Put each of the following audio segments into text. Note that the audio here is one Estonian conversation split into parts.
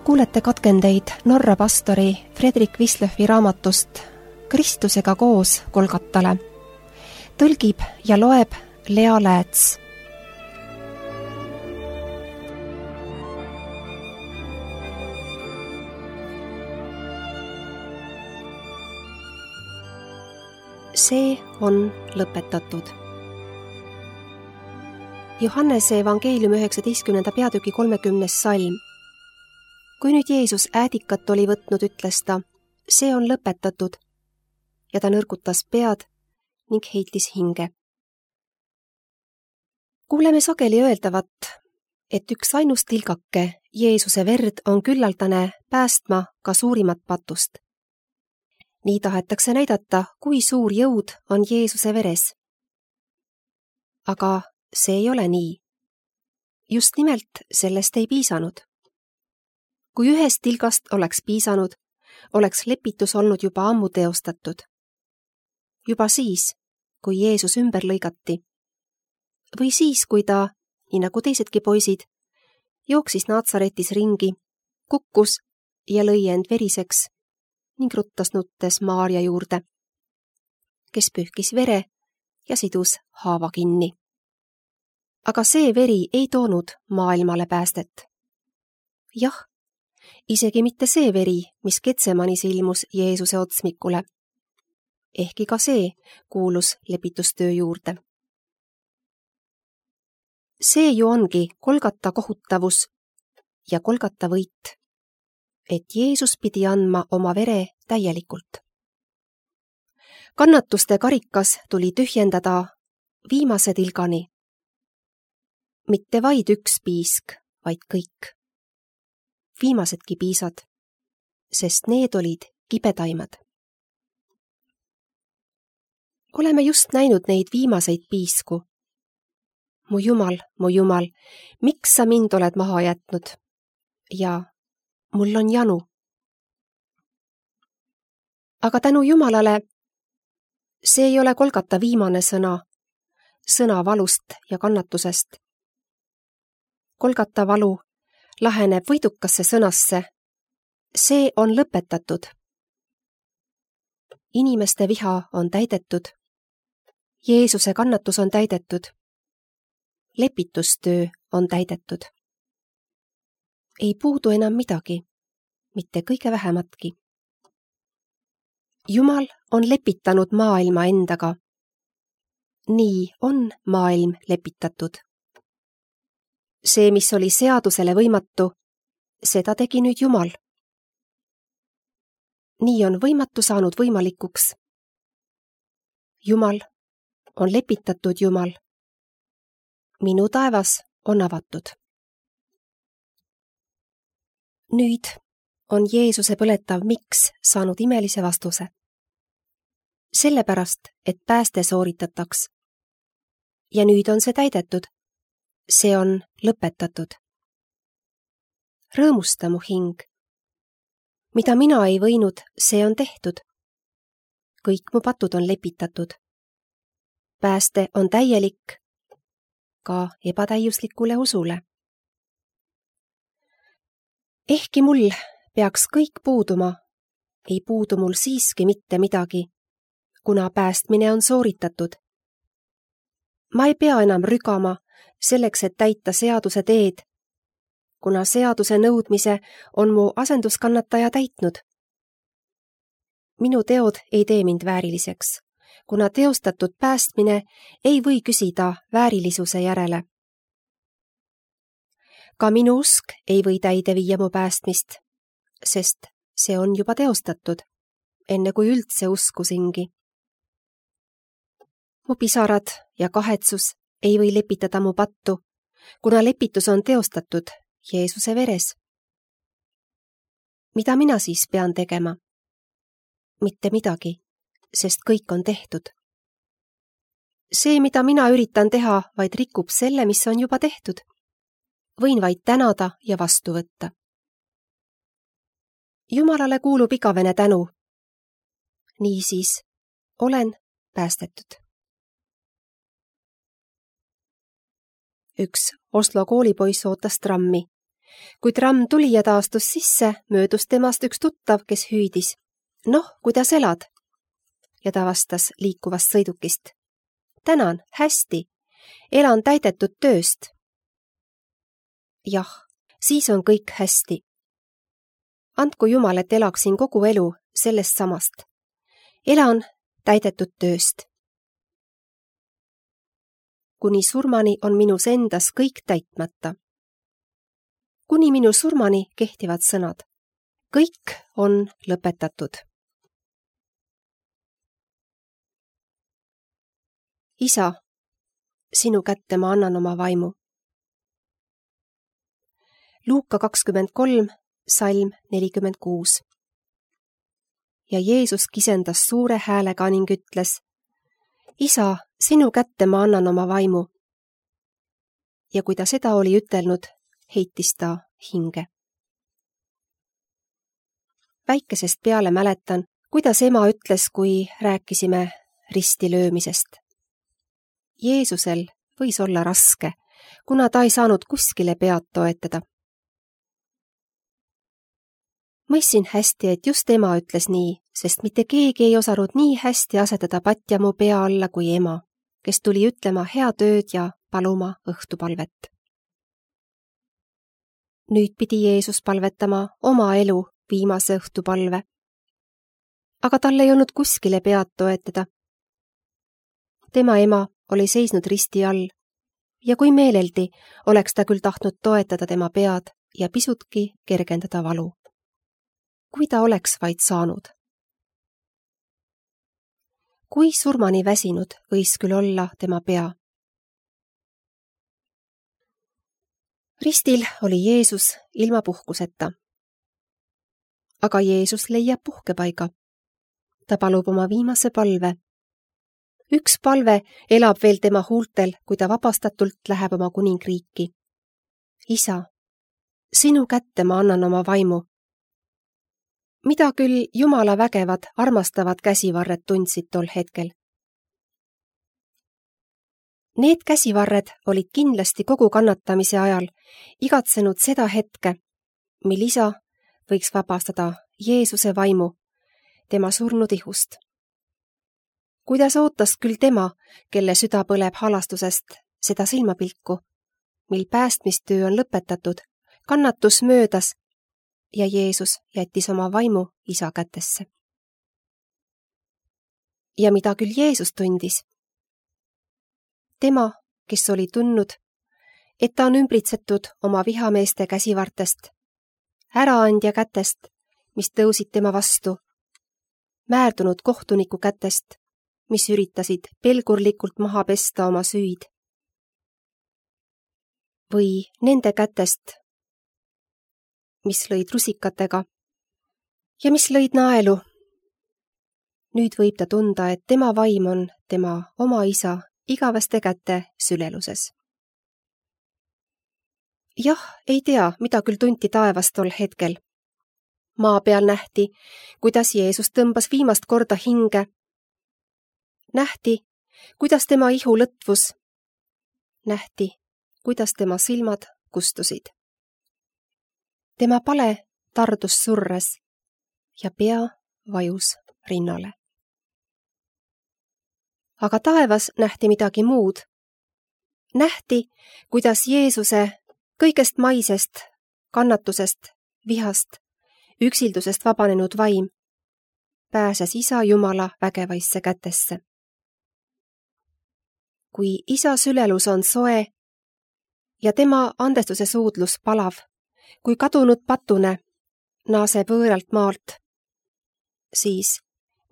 Kuulete katkendeid Norra pastori Fredrik Wislöfi raamatust Kristusega koos Golgatale. Tõlgib ja loeb Lea Lääts. See on lõpetatud. Johannese evangeeliumi 19. peatüki 30. salm. Kui nüüd Jeesus äädikat oli võtnud, ütles ta, see on lõpetatud, ja ta nõrgutas pead ning heitis hinge. Kuuleme sageli öeldavat, et üks ainus tilgake Jeesuse verd on küllaldane päästma ka suurimat patust. Nii tahetakse näidata, kui suur jõud on Jeesuse veres. Aga see ei ole nii. Just nimelt sellest ei piisanud. Kui ühest tilgast oleks piisanud, oleks lepitus olnud juba ammu teostatud. Juba siis, kui Jeesus ümber lõigati. Või siis, kui ta, nii nagu teisedki poisid, jooksis Naatsaretis ringi, kukkus ja lõi end veriseks ning ruttas nuttes Maarja juurde, kes pühkis vere ja sidus haava kinni. Aga see veri ei toonud maailmale päästet. Jah, isegi mitte see veri, mis Getsemanis ilmus Jeesuse otsmikule. Ehkki ka see kuulus lepitustöö juurde. See ju ongi Golgata kohutavus ja Golgata võit, et Jeesus pidi andma oma vere täielikult. Kannatuste karikas tuli tühjendada viimase tilgani. Mitte vaid üks piisk, vaid kõik. Viimasedki piisad, sest need olid kibedaimad. Oleme just näinud neid viimaseid piisku. Mu Jumal, miks sa mind oled maha jätnud? Ja mul on janu. Aga tänu Jumalale, see ei ole Golgata viimane sõna valust ja kannatusest. Golgata valu laheneb võidukasse sõnasse. See on lõpetatud. Inimeste viha on täidetud. Jeesuse kannatus on täidetud. Lepitustöö on täidetud. Ei puudu enam midagi, mitte kõige vähematki. Jumal on lepitanud maailma endaga. Nii on maailm lepitatud. See, mis oli seadusele võimatu, seda tegi nüüd Jumal. Nii on võimatu saanud võimalikuks. Jumal on lepitatud Jumal. Minu taevas on avatud. Nüüd on Jeesuse põletav miks saanud imelise vastuse. Sellepärast, et pääste sooritataks. Ja nüüd on see täidetud. See on lõpetatud. Rõõmusta mu hing. Mida mina ei võinud, see on tehtud. Kõik mu patud on lepitatud. Pääste on täielik, ka ebatäiuslikule usule. Ehkki mul peaks kõik puuduma, ei puudu mul siiski mitte midagi, kuna päästmine on sooritatud. Ma ei pea enam rügama selleks, et täita seaduse teed, kuna seaduse nõudmise on mu asenduskannataja täitnud. Minu teod ei tee mind vääriliseks, kuna teostatud päästmine ei või küsida väärilisuse järele. Ka minu usk ei või täide viia mu päästmist, sest see on juba teostatud, enne kui üldse uskusingi. Mu pisarad ja kahetsus ei või lepitada mu pattu, kuna lepitus on teostatud Jeesuse veres. Mida mina siis pean tegema? Mitte midagi, sest kõik on tehtud. See, mida mina üritan teha, vaid rikub selle, mis on juba tehtud. Võin vaid tänada ja vastu võtta. Jumalale kuulub igavene tänu. Niisiis, olen päästetud. Üks Oslo koolipoiss ootas trammi kui tramm tuli ja ta astus sisse, möödus temast üks tuttav, kes hüüdis. Noh, kuidas elad? Ja ta vastas liikuvast sõidukist. Tänan, hästi. Elan täidetud tööst. Jah, siis on kõik hästi. Andku Jumal, et elaksin kogu elu sellest samast. Elan täidetud tööst. Kuni surmani on minus endas kõik täitmata. Kuni minu surmani kehtivad sõnad. Kõik on lõpetatud. Isa, sinu kätte ma annan oma vaimu. Luuka 23, salm 46. Ja Jeesus kisendas suure häälega ning ütles, Isa, sinu kätte ma annan oma vaimu. Ja kui ta seda oli ütelnud, heitis ta hinge. Väikesest peale mäletan, kuidas ema ütles, kui rääkisime risti löömisest. Jeesusel võis olla raske, kuna ta ei saanud kuskile pead toetada. Mõissin hästi, et just ema ütles nii, sest mitte keegi ei osanud nii hästi asetada patja mu pea alla kui ema, kes tuli ütlema hea tööd ja paluma õhtupalvet. Nüüd pidi Jeesus palvetama oma elu viimase õhtupalve. Aga tal ei olnud kuskile pead toetada. Tema ema oli seisnud risti all ja kui meeleldi oleks ta küll tahtnud toetada tema pead ja pisutki kergendada valu. Kui ta oleks vaid saanud. Kui surmani väsinud võis küll olla tema pea. Ristil oli Jeesus ilma puhkuseta. Aga Jeesus leiab puhkepaiga. Ta palub oma viimase palve. Üks palve elab veel tema huultel, kui ta vabastatult läheb oma kuningriiki. Isa, sinu kätte ma annan oma vaimu. Mida küll Jumala vägevad, armastavad käsivarred tundsid tol hetkel? Need käsivarred olid kindlasti kogu kannatamise ajal igatsenud seda hetke, mil isa võiks vabastada Jeesuse vaimu tema surnud ihust. Kuidas ootas küll tema, kelle süda põleb halastusest, seda silmapilku, mil päästmistöö on lõpetatud, kannatus möödas ja Jeesus jättis oma vaimu isa kätesse. Ja mida küll Jeesus tundis? Tema, kes oli tundnud, et ta on ümbritsetud oma vihameeste käsivartest, äraandja kätest, mis tõusid tema vastu, määrdunud kohtuniku kätest, mis üritasid pelgurlikult maha pesta oma süüd. Või nende kätest, mis lõid rusikatega ja mis lõid naelu. Nüüd võib ta tunda, et tema vaim on tema oma isa igaveste käte süleluses. Jah, ei tea, mida küll tunti taevas tol hetkel. Maa peal nähti, kuidas Jeesus tõmbas viimast korda hinge. Nähti, kuidas tema ihu lõtvus. Nähti, kuidas tema silmad kustusid. Tema pale tardus surres ja pea vajus rinnale. Aga taevas nähti midagi muud. Nähti, kuidas Jeesuse kõigest maisest, kannatusest, vihast, üksildusest vabanenud vaim pääses isa Jumala vägevaisse kätesse. Kui isa sülelus on soe ja tema andestuse suudlus palav, kui kadunud patune naaseb võõralt maalt, siis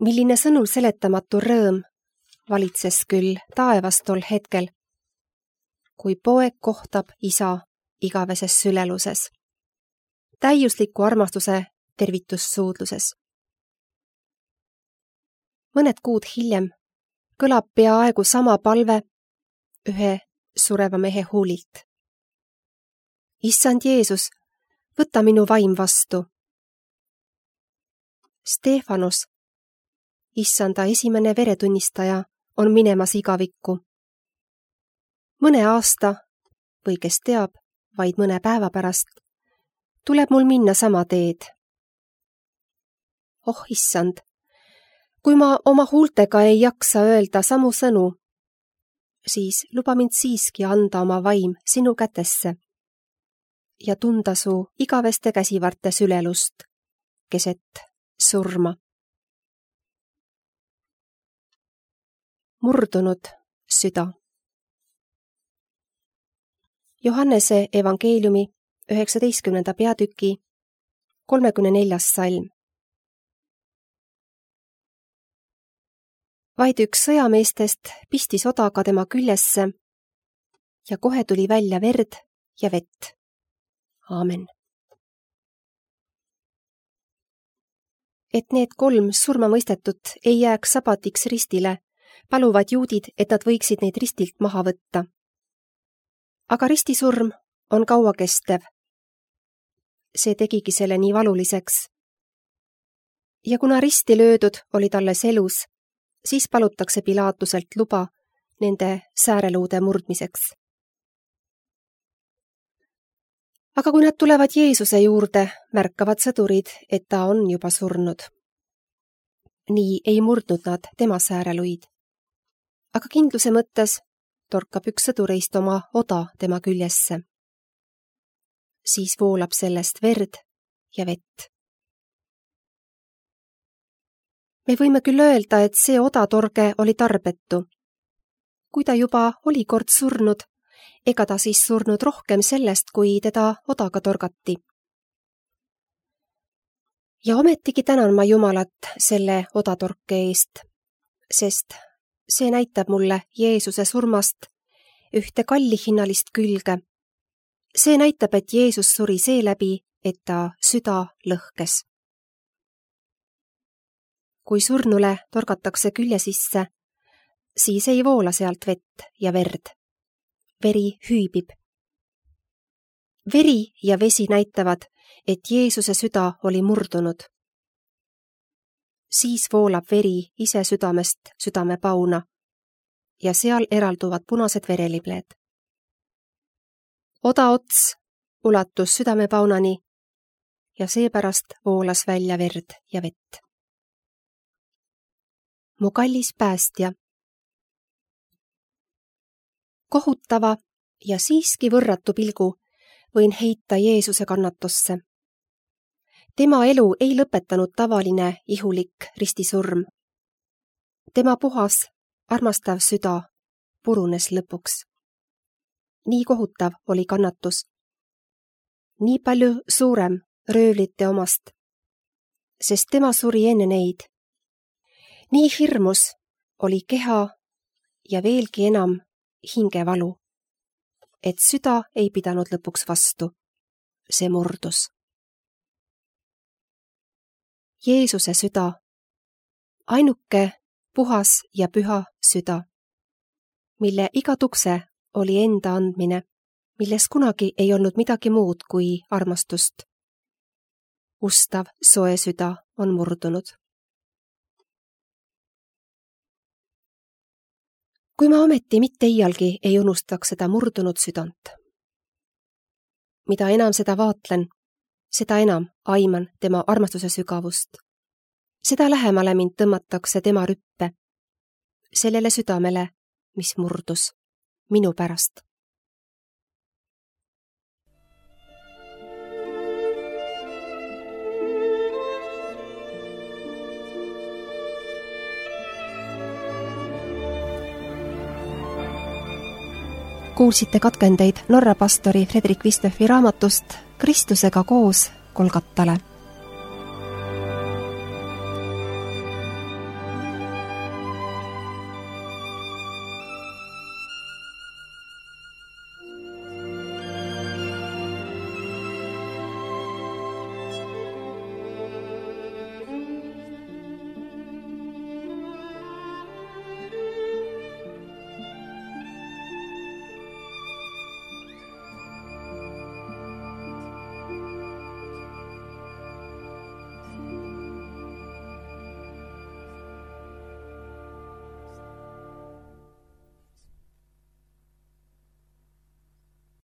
milline sõnul seletamatu rõõm valitses küll taevas tol hetkel, kui poeg kohtab isa igaveses süleluses, täiusliku armastuse tervitussuudluses. Mõned kuud hiljem kõlab peaaegu sama palve ühe sureva mehe huulilt. Issand Jeesus, võta minu vaim vastu. Stefanus, issanda esimene veretunnistaja, on minemas igavikku. Mõne aasta või kes teab, vaid mõne päeva pärast tuleb mul minna sama teed. Oh issand, kui ma oma huultega ei jaksa öelda samu sõnu, siis luba mind siiski anda oma vaim sinu kätesse ja tunda su igaveste käsivarte sülelust keset surma. Murdunud süda. Johannese evangeeliumi 19. peatüki 34. salm. Vaid üks sõjameestest pistis odaga tema küljesse ja kohe tuli välja verd ja vett. Aamen. Et need 3 surmamõistetut ei jääks sabatiks ristile, paluvad juudid, et nad võiksid neid ristilt maha võtta. Aga ristisurm on kauakestev. See tegigi selle nii valuliseks. Ja kuna risti löödud olid alles elus, siis palutakse Pilatuselt luba nende sääreluude murdmiseks. Aga kui nad tulevad Jeesuse juurde, märkavad sõdurid, et ta on juba surnud. Nii ei murdnud nad tema sääreluid. Aga kindluse mõttes torkab üks sõdureist oma oda tema küljesse. Siis voolab sellest verd ja vett. Me võime küll öelda, et see odatorge oli tarbetu. Kui ta juba oli kord surnud, ega ta siis surnud rohkem sellest, kui teda odaga torgati. Ja ometigi tänan ma Jumalat selle odatorke eest, sest see näitab mulle Jeesuse surmast ühte kallihinnalist külge. See näitab, et Jeesus suri seeläbi, et ta süda lõhkes. Kui surnule torgatakse külje sisse, siis ei voola sealt vett ja verd. Veri hüübib. Veri ja vesi näitavad, et Jeesuse süda oli murdunud. Siis voolab veri ise südamest südamepauna ja seal eralduvad punased verelibleed. Oda ots ulatus südamepaunani ja seepärast voolas välja verd ja vett. Mu kallis päästja. Kohutava ja siiski võrratu pilgu võin heita Jeesuse kannatusse. Tema elu ei lõpetanud tavaline ihulik ristisurm. Tema puhas, armastav süda purunes lõpuks. Nii kohutav oli kannatus. Nii palju suurem röövlite omast, sest tema suri enne neid. Nii hirmus oli keha ja veelgi enam hingevalu, et süda ei pidanud lõpuks vastu. See murdus. Jeesuse süda, ainuke puhas ja püha süda, mille iga tukse oli enda andmine, milles kunagi ei olnud midagi muud kui armastust. Ustav soe süda on murdunud. Kui ma ometi mitte iialgi ei unustaks seda murdunud südant. Mida enam seda vaatlen, seda enam aiman tema armastuse sügavust. Seda lähemale mind tõmmatakse tema rüppe, sellele südamele, mis murdus minu pärast. Kuulsite katkendeid Norra pastori Fredrik Wistöfi raamatust Kristusega koos Golgatale.